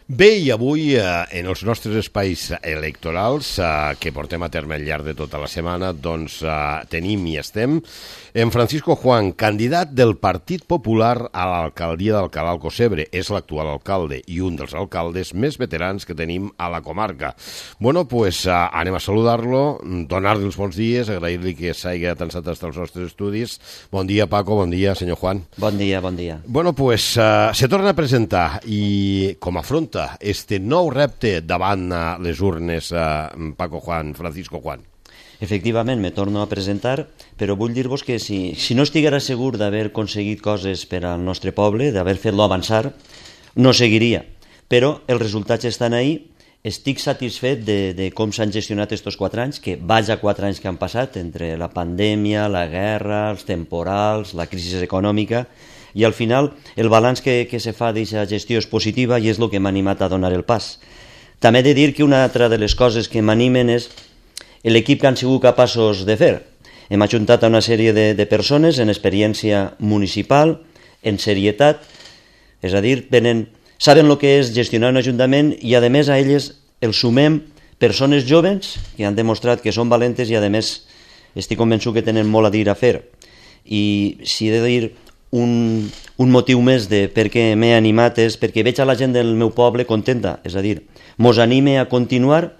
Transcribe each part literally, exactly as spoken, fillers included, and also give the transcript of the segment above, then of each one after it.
Bé, i avui eh, en els nostres espais electorals eh, que portem a terme al llarg de tota la setmana, doncs eh, tenim i estem en Francisco Juan, candidat del Partit Popular a l'alcaldia d'Alcalà Alcocebre. És l'actual alcalde i un dels alcaldes més veterans que tenim a la comarca. Bueno, pues eh, anem a saludar-lo, donar-li els bons dies, agrair-li que s'hagi atansat als nostres estudis. Bon dia, Paco, bon dia, senyor Juan. Bon dia, bon dia. Bueno, pues eh, se torna a presentar i com afronta este nou repte davant les urnes, eh, Paco Juan, Francisco Juan? Efectivament, me torno a presentar, però vull dir-vos que si, si no estiguera segur d'haver aconseguit coses per al nostre poble, d'haver fet-lo avançar, no seguiria. Però els resultats estan ahí. Estic satisfet de, de com s'han gestionat aquests quatre anys, que vaja quatre anys que han passat, entre la pandèmia, la guerra, els temporals, la crisi econòmica, i al final el balanç que, que se fa d'aquesta gestió és positiva i és el que m'ha animat a donar el pas. També he de dir que una altra de les coses que m'animen és l'equip que han sigut capaços de fer. Hem ajuntat a una sèrie de, de persones en experiència municipal, en serietat, és a dir, tenen, saben el que és gestionar un ajuntament i a més a elles els sumem persones joves que han demostrat que són valentes i a més estic convençut que tenen molt a dir a fer. I si he de dir Un, un motiu més de per què m'he animat és perquè veig a la gent del meu poble contenta, és a dir, mos anime a continuar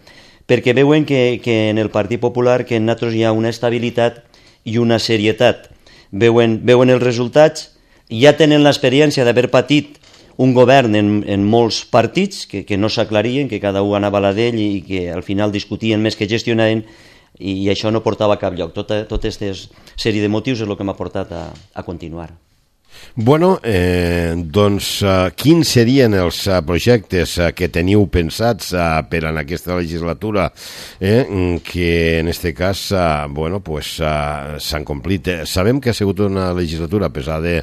perquè veuen que, que en el Partit Popular que en nosaltres hi ha una estabilitat i una serietat. Veuen, veuen els resultats, ja tenen l'experiència d'haver patit un govern en, en molts partits que, que no s'aclarien, que cada un anava a la d'ell i que al final discutien més que gestionaven i, i això no portava a cap lloc. Tota, tota aquesta sèrie de motius és el que m'ha portat a, a continuar. Bueno, eh, doncs uh, quins serien els uh, projectes uh, que teniu pensats uh, per en aquesta legislatura eh, que en este cas uh, bueno, pues, uh, s'han complit? Eh, sabem que ha sigut una legislatura, a pesar de,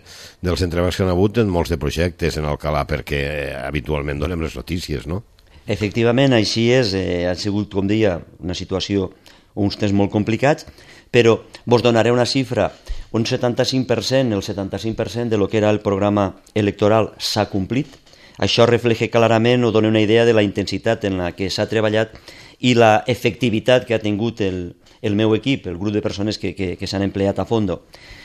dels entrebancs que han hagut en molts de projectes en Alcalà, perquè eh, habitualment donem les notícies, no? Efectivament, així és. Eh, ha sigut, com deia, una situació, uns temps molt complicats, però vos donaré una xifra. Un setanta-cinc per cent, el setanta-cinc per cent de lo que era el programa electoral s'ha complit. Això refleja clarament o dona una idea de la intensitat en la que s'ha treballat i la efectivitat que ha tingut el, el meu equip, el grup de persones que, que, que s'han empleat a fondo.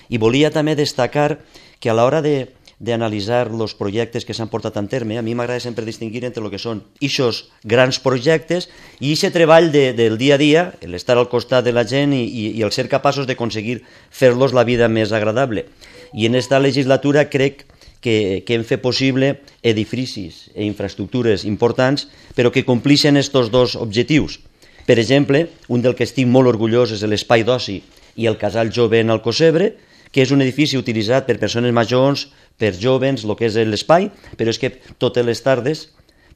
I volia també destacar que a l'hora de d'analitzar els projectes que s'han portat en terme, a mi m'agrada sempre distingir entre el que són ixos grans projectes i aquest treball de, del dia a dia, l'estar al costat de la gent i, i, i el ser capaços d'aconseguir fer-los la vida més agradable. I en esta legislatura crec que, que hem fet possible edificis i infraestructures importants, però que complixen aquests dos objectius. Per exemple, un del que estic molt orgullós és l'espai d'oci i el casal jove en Alcocebre, que és un edifici utilitzat per persones majors, per jovens, el que és l'espai, però és que totes les tardes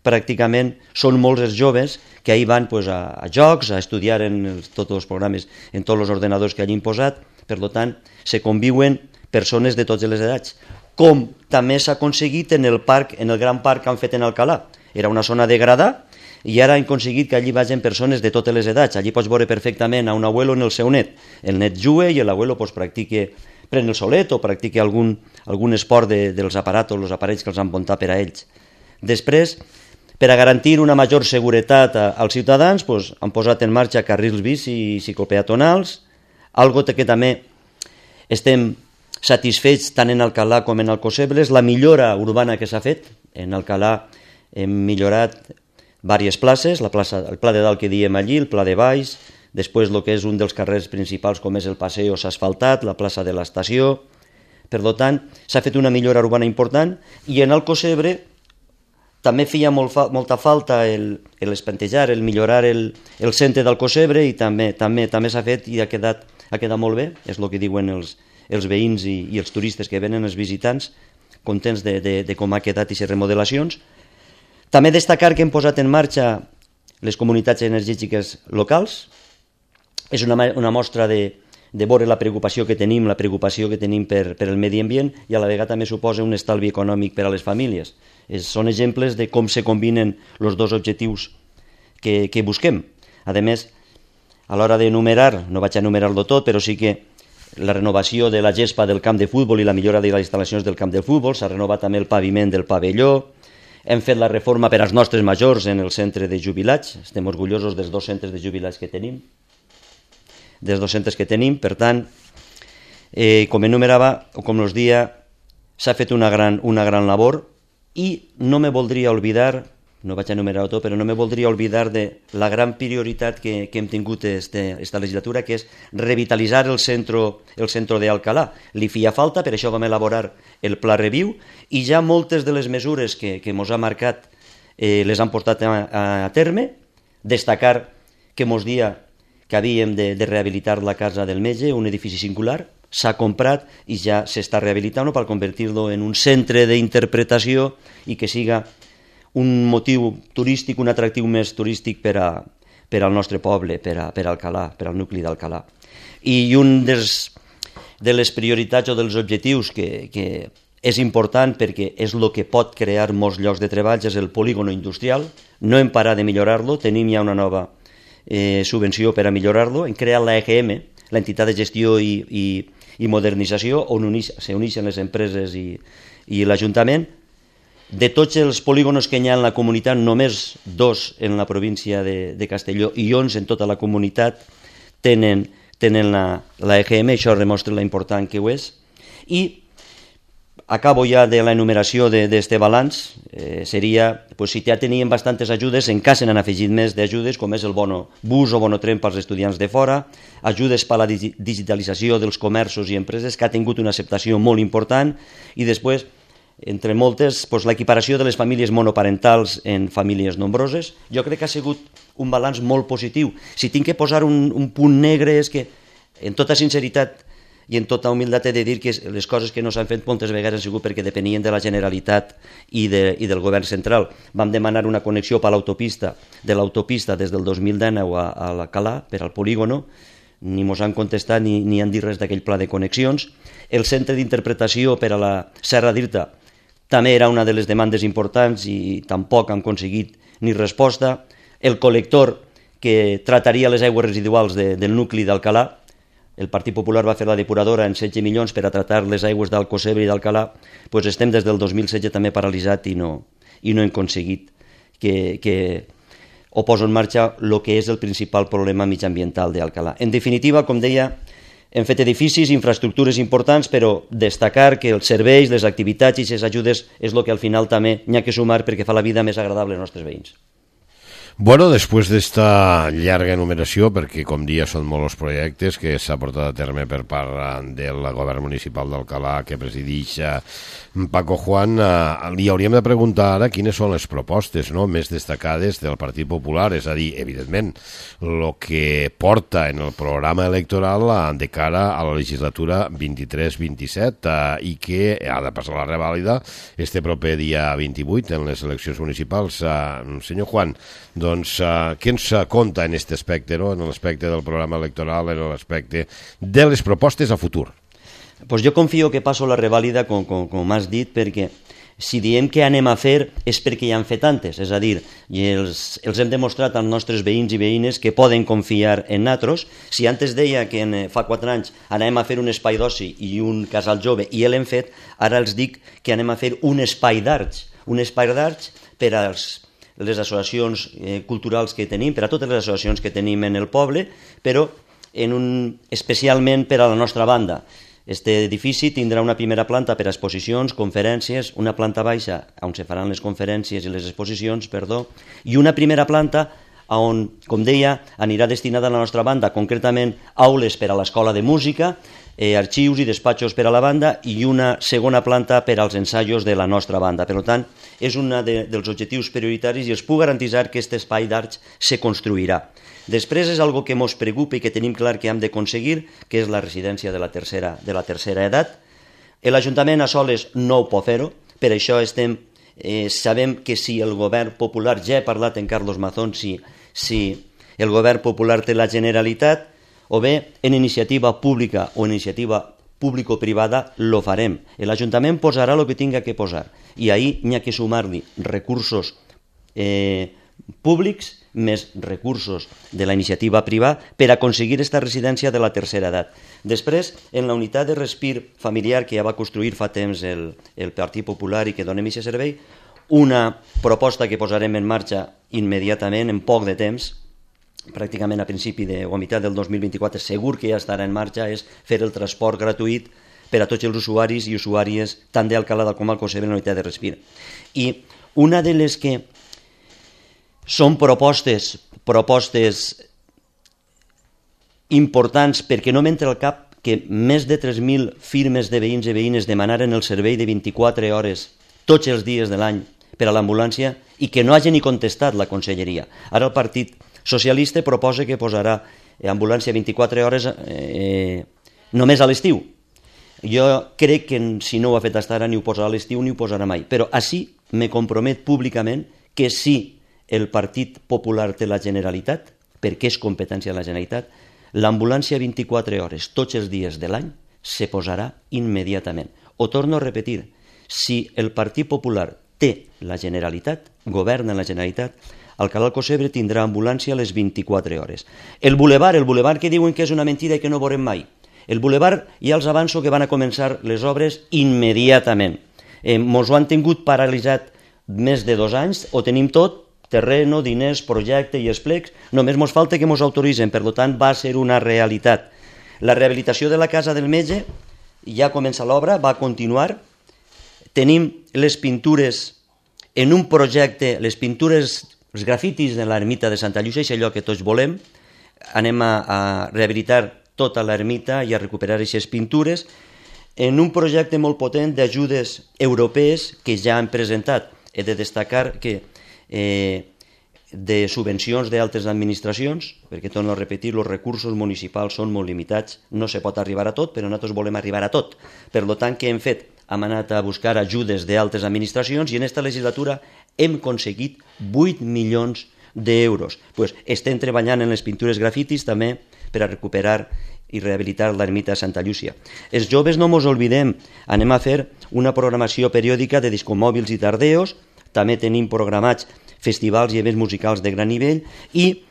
pràcticament són molts els joves que ahir van pues, a, a jocs, a estudiar en els, tots els programes, en tots els ordenadors que hagin posat, per tant, se conviuen persones de totes les edats. Com també s'ha aconseguit en el parc, en el gran parc que han fet en Alcalà. Era una zona de gradà i ara han aconseguit que allí vagin persones de totes les edats. Allí pots veure perfectament a un abuelo en el seu net. El net juga i l'abuelo pues, practica pren el solet o practica algun, algun esport de, dels aparatos, els aparells que els han muntat per a ells. Després, per a garantir una major seguretat a, als ciutadans, doncs, han posat en marxa carrils bici i ciclopeatonals, algo que també estem satisfets tant en Alcalà com en Alcocebre, és la millora urbana que s'ha fet. En Alcalà hem millorat diverses places, la plaça, el Pla de Dalt que diem allí, el Pla de Baix, després el que és un dels carrers principals com és el Paseo s'ha asfaltat, la plaça de l'estació. Per tant, s'ha fet una millora urbana important i en Alcocebre també feia molt fa, molta falta el, el espantejar, el millorar el, el centre d'Alcocebre i també també també s'ha fet i ha quedat, ha quedat molt bé, és el que diuen els, els veïns i, i els turistes que venen, els visitants, contents de, de, de com ha quedat aquestes remodelacions. També destacar que hem posat en marxa les comunitats energètiques locals. És una, una mostra de, de veure la preocupació que tenim, la preocupació que tenim per, per el medi ambient i a la vegada també suposa un estalvi econòmic per a les famílies. És, són exemples de com se combinen els dos objectius que, que busquem. A més, a l'hora d'enumerar, no vaig a enumerar-lo tot, però sí que la renovació de la gespa del camp de futbol i la millora de les instal·lacions del camp de futbol, s'ha renovat també el paviment del pavelló, hem fet la reforma per als nostres majors en el centre de jubilats, estem orgullosos dels dos centres de jubilats que tenim, dels dos centres que tenim, per tant, eh, com enumerava, o com us dia, s'ha fet una gran, una gran labor i no me voldria oblidar, no vaig a enumerar-ho tot, però no me voldria oblidar de la gran prioritat que, que hem tingut aquesta legislatura, que és revitalitzar el centre, el centre d'Alcalà. Li feia falta, per això vam elaborar el Pla Reviu, i ja moltes de les mesures que, que mos ha marcat eh, les han portat a, a terme. Destacar que mos dia que havíem de, de rehabilitar la casa del metge, un edifici singular, s'ha comprat i ja s'està rehabilitant per convertir-lo en un centre d'interpretació i que siga un motiu turístic, un atractiu més turístic per, a, per al nostre poble, per a, per a Alcalà, per al nucli d'Alcalà. I un dels, de les prioritats o dels objectius que, que és important perquè és el que pot crear molts llocs de treball és el polígono industrial. No hem parat de millorar-lo, tenim ja una nova eh, subvenció per a millorar-lo. Hem creat l'E G M, l'entitat de gestió i, i, i modernització, on s'uneixen les empreses i, i l'Ajuntament. De tots els polígonos que hi ha en la comunitat, només dos en la província de, de Castelló i onze en tota la comunitat tenen, tenen la, la E G M, això demostra la important que ho és. I acabo ja de la enumeració d'aquest balanç, eh, seria, pues, si ja tenien bastantes ajudes, encara se n'han afegit més d'ajudes, com és el bono bus o bono tren pels estudiants de fora, ajudes per a la digitalització dels comerços i empreses, que ha tingut una acceptació molt important, i després, entre moltes, doncs, l'equiparació de les famílies monoparentals en famílies nombroses. Jo crec que ha sigut un balanç molt positiu. Si tinc que posar un, un punt negre és que, en tota sinceritat i en tota humilitat, he de dir que les coses que no s'han fet moltes vegades han sigut perquè depenien de la Generalitat i, de, i del govern central. Vam demanar una connexió per l'autopista, de l'autopista des del dos mil dinou a, a l'Alcalà, per al polígono, ni mos han contestat ni, ni han dit res d'aquell pla de connexions. El centre d'interpretació per a la Serra d'Irta també era una de les demandes importants i tampoc han aconseguit ni resposta. El col·lector que trataria les aigües residuals de, del nucli d'Alcalà, el Partit Popular va fer la depuradora en setze milions per a tratar les aigües d'Alcocebre i d'Alcalà, doncs estem des del dos mil setze també paralitzat i no, i no hem aconseguit que, que ho poso en marxa el que és el principal problema mitjambiental d'Alcalà. En definitiva, com deia, hem fet edificis, infraestructures importants, però destacar que els serveis, les activitats i les ajudes és el que al final també n'hi ha que sumar perquè fa la vida més agradable als nostres veïns. Bueno, després d'esta llarga enumeració, perquè com dia són molts els projectes que s'ha portat a terme per part del govern municipal d'Alcalà que presideix Paco Juan, li hauríem de preguntar ara quines són les propostes, no?, més destacades del Partit Popular, és a dir, evidentment, el que porta en el programa electoral de cara a la legislatura vint-i-tres vint-i-set eh, i que ha de passar la revàlida este proper dia vint-i-vuit en les eleccions municipals. Eh, senyor Juan, doncs, uh, què ens conta en aquest aspecte, no? En l'aspecte del programa electoral, en l'aspecte de les propostes a futur? Pues jo confio que passo la revàlida, com, com, com has dit, perquè si diem que anem a fer és perquè ja han fet antes, és a dir, i els, els hem demostrat als nostres veïns i veïnes que poden confiar en nosaltres. Si antes deia que en, fa quatre anys anem a fer un espai d'oci i un casal jove i l'hem fet, ara els dic que anem a fer un espai d'arts, un espai d'arts per als les associacions eh, culturals que tenim, per a totes les associacions que tenim en el poble, però en un, especialment per a la nostra banda. Este edifici tindrà una primera planta per a exposicions, conferències, una planta baixa on se faran les conferències i les exposicions, perdó, i una primera planta on, com deia, anirà destinada a la nostra banda, concretament aules per a l'escola de música, eh, arxius i despatxos per a la banda i una segona planta per als ensaios de la nostra banda. Per tant, és un de, dels objectius prioritaris i els puc garantir que aquest espai d'arts se construirà. Després és algo que ens preocupa i que tenim clar que hem d'aconseguir, que és la residència de la tercera, de la tercera edat. L'Ajuntament a soles no ho pot fer-ho, per això estem, eh, sabem que si el govern popular, ja he parlat en Carlos Mazón, si, si el govern popular té la Generalitat, o bé en iniciativa pública o en iniciativa público-privada, lo farem. L'Ajuntament posarà el que tinga que posar i ahir n'hi ha que sumar-li recursos eh, públics més recursos de la iniciativa privada per aconseguir aquesta residència de la tercera edat. Després, en la unitat de respir familiar que ja va construir fa temps el, el Partit Popular i que donem aquest servei, una proposta que posarem en marxa immediatament, en poc de temps, pràcticament a principi de, o a meitat del dos mil vint-i-quatre, segur que ja estarà en marxa, és fer el transport gratuït per a tots els usuaris i usuàries, tant d'Alcalá com Alcocebre, en la unitat de respir. I una de les que són propostes, propostes importants, perquè no m'entra al cap que més de tres mil firmes de veïns i veïnes demanaren el servei de vint-i-quatre hores tots els dies de l'any per a l'ambulància i que no hagi ni contestat la conselleria. Ara el Partit Socialista proposa que posarà ambulància vint-i-quatre hores eh, només a l'estiu. Jo crec que si no ho ha fet fins ara ni ho posarà a l'estiu ni ho posarà mai, però així me compromet públicament que si el Partit Popular té la Generalitat, perquè és competència de la Generalitat, l'ambulància vint-i-quatre hores tots els dies de l'any se posarà immediatament. Ho torno a repetir, si el Partit Popular té la Generalitat, governa la Generalitat, Alcalá Alcocebre tindrà ambulància a les vint-i-quatre hores. El bulevard, el bulevard que diuen que és una mentida i que no veurem mai. El bulevard ja els avanço que van a començar les obres immediatament. Eh, mos ho han tingut paralitzat més de dos anys, ho tenim tot, terreno, diners, projecte i esplecs, només mos falta que mos autoritzen, per tant va ser una realitat. La rehabilitació de la casa del metge ja comença l'obra, va continuar. Tenim les pintures en un projecte, les pintures, els grafitis de l'ermita de Santa Llucia, és allò que tots volem. Anem a, a rehabilitar tota l'ermita i a recuperar aquestes pintures en un projecte molt potent d'ajudes europees que ja han presentat. He de destacar que eh, de subvencions d'altres administracions, perquè torno a repetir, els recursos municipals són molt limitats, no se pot arribar a tot, però nosaltres volem arribar a tot. Per tant, què hem fet? Hem anat a buscar ajudes d'altres administracions i en aquesta legislatura hem aconseguit vuit milions d'euros. Pues estem treballant en les pintures grafitis també per a recuperar i rehabilitar l'ermita de Santa Llúcia. Els joves no mos oblidem, anem a fer una programació periòdica de discomòbils i tardeos, també tenim programats festivals i events musicals de gran nivell i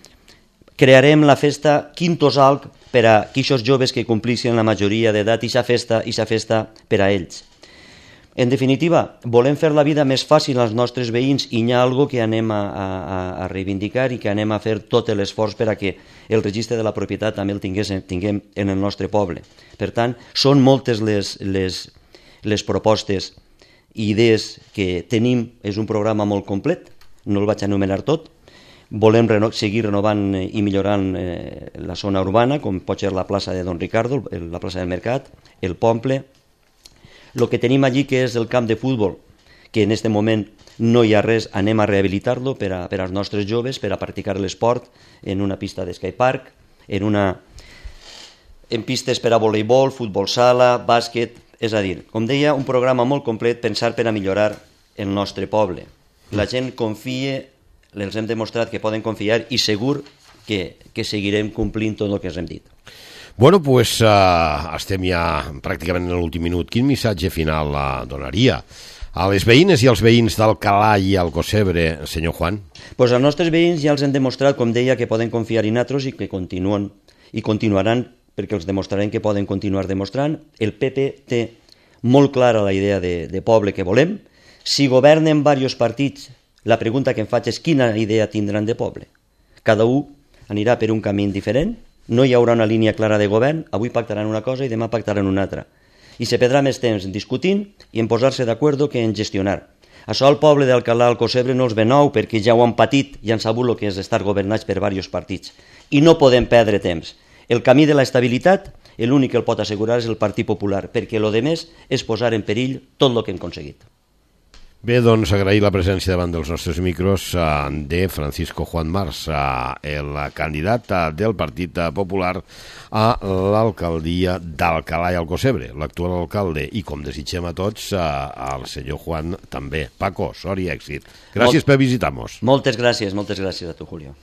crearem la festa Quintos Alc per a aquells joves que complissin la majoria d'edat i aquesta festa, i festa per a ells. En definitiva, volem fer la vida més fàcil als nostres veïns i hi ha alguna cosa que anem a, a, a reivindicar i que anem a fer tot l'esforç per a que el registre de la propietat també el tingués, tinguem en el nostre poble. Per tant, són moltes les, les, les propostes i idees que tenim. És un programa molt complet, no el vaig anomenar tot. Volem reno seguir renovant i millorant eh, la zona urbana, com pot ser la plaça de Don Ricardo, la plaça del Mercat, el Pomple. El que tenim allí, que és el camp de futbol, que en aquest moment no hi ha res, anem a rehabilitar-lo per, a, per als nostres joves, per a practicar l'esport en una pista d'escapepark, en, una, en pistes per a voleibol, futbol sala, bàsquet. És a dir, com deia, un programa molt complet pensat per a millorar el nostre poble. La gent confia, els hem demostrat que poden confiar i segur que, que seguirem complint tot el que ens hem dit. Bueno, pues uh, estem ja pràcticament en l'últim minut. Quin missatge final uh, donaria a les veïnes i als veïns d'Alcalá i Alcocebre, senyor Juan? Pues als nostres veïns ja els hem demostrat, com deia, que poden confiar en nosaltres i que continuen i continuaran, perquè els demostrarem que poden continuar demostrant. El P P té molt clara la idea de, de poble que volem. Si governen diversos partits, la pregunta que em faig és quina idea tindran de poble. Cada un anirà per un camí diferent, no hi haurà una línia clara de govern, avui pactaran una cosa i demà pactaran una altra. I se perdrà més temps discutint i en posar-se d'acord que en gestionar. Això al poble d'Alcalá Alcocebre no els ve nou perquè ja ho han patit i han sabut el que és estar governats per diversos partits. I no podem perdre temps. El camí de l'estabilitat, l'únic que el pot assegurar és el Partit Popular, perquè el que més és posar en perill tot el que hem aconseguit. Bé, doncs agrair la presència davant dels nostres micros uh, de Francisco Juan Mars, uh, el candidat uh, del Partit Popular a l'alcaldia d'Alcalá i Alcocebre, l'actual alcalde, i com desitgem a tots, uh, al senyor Juan també. Paco, sort i èxit. Gràcies Molt, per visitar-nos. Moltes gràcies, moltes gràcies a tu, Julio.